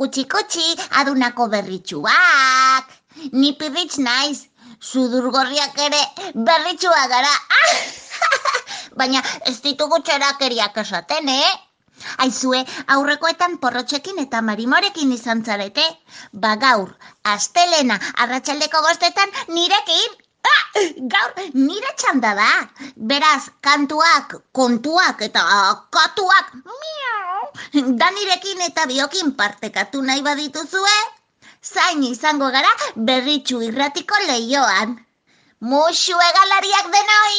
Kutsi, adunako berritxuak. Ni pirritx naiz, sudurgorriak ere berritxuak gara. Baina ez ditugu txorakeriak esaten, Aizue, aurrekoetan porrotxekin eta marimorekin izan zarete. Gaur, astelena, arratsaldeko 5 nirekin. Gaur, nire txanda da. Beraz, kantuak, kontuak eta katuak, da nirekin eta biokin partekatu nahi badituzue, zain izango gara berritxu irratiko leioan. Muxu egalariak denoi!